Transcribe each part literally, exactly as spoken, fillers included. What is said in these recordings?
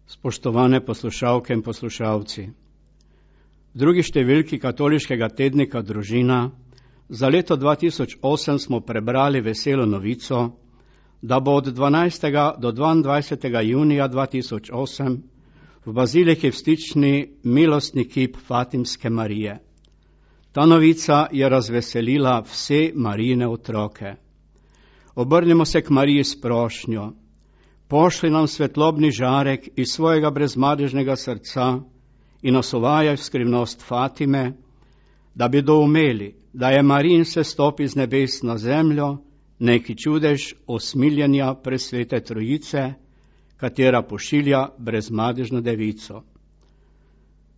Spoštovane poslušalke in poslušalci, v drugi številki katoliškega tednika Družina za leto dva tisoč osem smo prebrali veselo novico, da bo od dvanajstega do dvaindvajsetega junija dva tisoč osem v baziliki v Stični milostni kip Fatimske Marije. Ta novica je razveselila vse Marijine otroke. Obrnimo se k Mariji s prošnjo. Pošli nam svetlobni žarek iz svojega brezmadežnega srca in nas uvajaj v skrivnost Fatime, da bi doumeli, da je Marijin sestop iz nebes na zemljo neki čudež osmiljenja presvete Trojice, katera pošilja brezmadežno devico.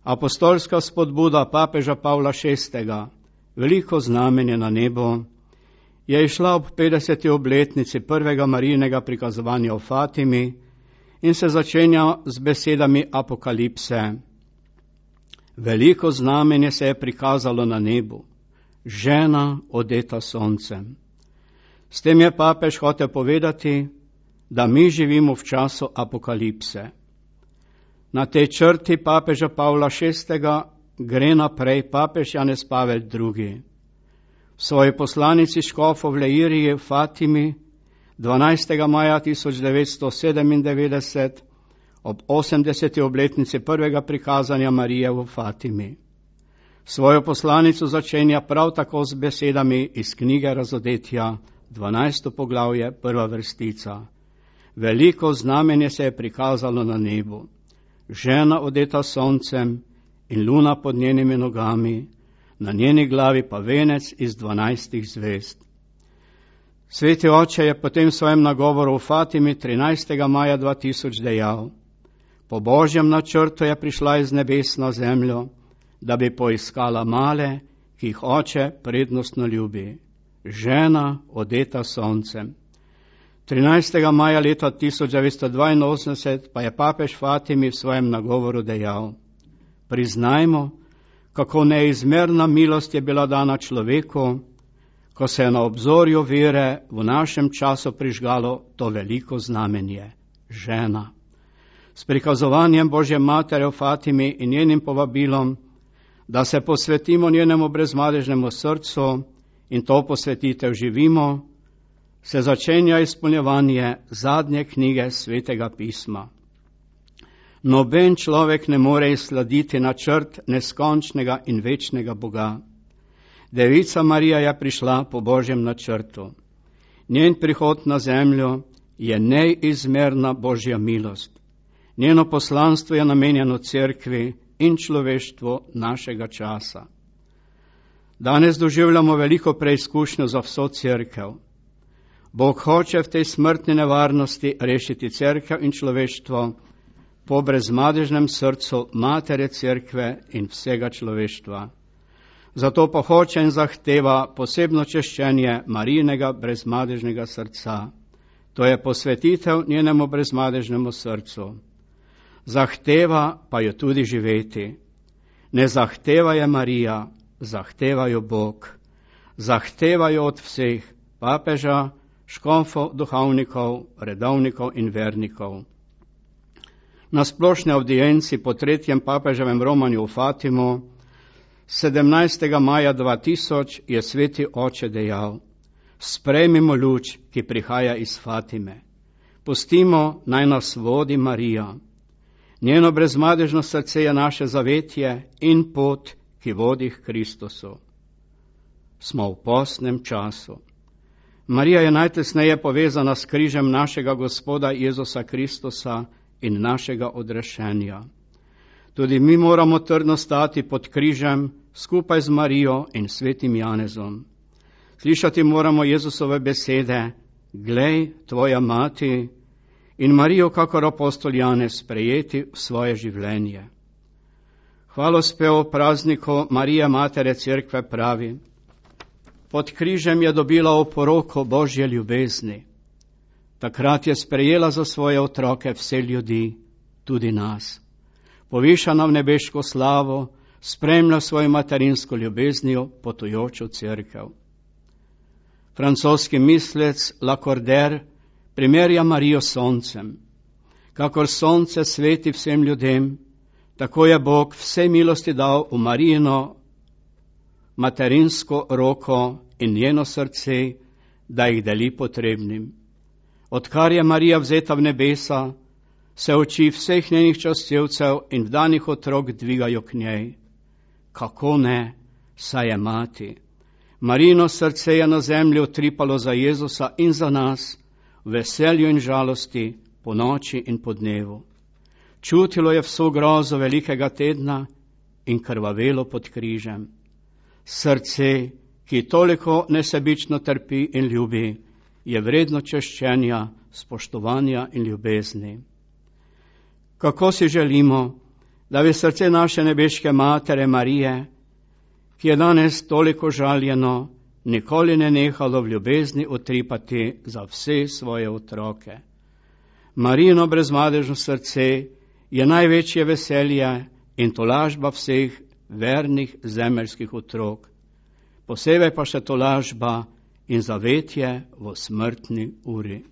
Apostolska spodbuda papeža Pavla šestega, veliko znamenje na nebo, je išla ob petdeseti obletnici prvega Marijinega prikazovanja v Fatimi in se začenja z besedami Apokalipse. Veliko znamenje se je prikazalo na nebu, žena odeta soncem. S tem je papež hotel povedati, da mi živimo v času Apokalipse. Na tej črti papeža Pavla šestega gre naprej papež Janez Pavel drugi. V svoji poslanici škofov v Leiriji v Fatimi dvanajstega maja tisoč devetsto sedemindevetdeset ob osemdeseti obletnici prvega prikazanja Marije v Fatimi. Svojo poslanico začenja prav tako z besedami iz knjige Razodetja, dvanajsto poglavje, prva vrstica. Veliko znamenje se je prikazalo na nebu, žena odeta soncem in luna pod njenimi nogami, na njeni glavi pa venec iz dvanajstih zvezd. Sveti oče je potem v svojem nagovoru v Fatimi trinajstega maja dva tisoč dejal: po Božjem načrtu je prišla iz nebes na zemljo, da bi poiskala male, ki jih oče prednostno ljubi, žena odeta soncem. trinajstega maja leta tisoč devetsto dvainosemdeset pa je papež Fatimi v svojem nagovoru dejal: priznajmo, kako neizmerna milost je bila dana človeku, ko se je na obzorju vere v našem času prižgalo to veliko znamenje, žena. S prikazovanjem Božje matere v Fatimi in njenim povabilom, da se posvetimo njenemu brezmadežnemu srcu in to posvetitev živimo, se začenja izpolnjevanje zadnje knjige Svetega pisma. Noben človek ne more izslediti načrt neskončnega in večnega Boga. Devica Marija je prišla po Božjem načrtu. Njen prihod na zemljo je neizmerna Božja milost. Njeno poslanstvo je namenjeno cerkvi in človeštvu našega časa. Danes doživljamo veliko preizkušnjo za vso cerkev. Bog hoče v tej smrtni nevarnosti rešiti cerkev in človeštvo po brezmadežnem srcu matere cerkve in vsega človeštva. Zato pa hoče in zahteva posebno češčenje Marijinega brezmadežnega srca. To je posvetitev njenemu brezmadežnemu srcu. Zahteva pa jo tudi živeti. Ne zahteva je Marija, zahteva jo Bog. Zahteva jo od vseh, papeža, škofov, duhovnikov, redovnikov in vernikov. Na splošni avdienci po tretjem papeževem romanju v Fatimo sedemnajstega maja dva tisoč je sveti oče dejal: sprejmimo luč, ki prihaja iz Fatime. Pustimo, naj nas vodi Marija. Njeno brezmadežno srce je naše zavetje in pot, ki vodi k Kristusu. Smo v postnem času. Marija je najtesneje povezana s križem našega Gospoda Jezusa Kristusa in našega odrešenja. Tudi mi moramo trdno stati pod križem skupaj z Marijo in svetim Janezom. Slišati moramo Jezusove besede: glej, tvoja mati, in Marijo kakor apostol Janez sprejeti v svoje življenje. Hvalospev o prazniku Marije matere cerkve pravi: pod križem je dobila oporoko Božje ljubezni. Takrat je sprejela za svoje otroke vse ljudi, tudi nas. Povišana v nebeško slavo, spremlja svojo materinsko ljubeznijo potujočo cerkev. Francoski mislec Lacordaire primerja Marijo s soncem. Kakor sonce sveti vsem ljudem, tako je Bog vse milosti dal v Marijino materinsko roko in njeno srce, da jih deli potrebnim. Odkar je Marija vzeta v nebesa, se oči vseh njenih častevcev in vdanih otrok dvigajo k njej. Kako ne, saj je mati. Marijino srce je na zemlji utripalo za Jezusa in za nas, v veselju in žalosti, po noči in po dnevu. Čutilo je vso grozo velikega tedna in krvavelo pod križem. Srce, ki toliko nesebično trpi in ljubi, je vredno češčenja, spoštovanja in ljubezni. Kako si želimo, da bi srce naše nebeške Matere Marije, ki je danes toliko žaljeno, nikoli ne nehalo v ljubezni utripati za vse svoje otroke. Marijino brezmadežno srce je največje veselje in tolažba vseh vernih zemeljskih otrok, posebej pa še tolažba in zavetje v smrtni uri.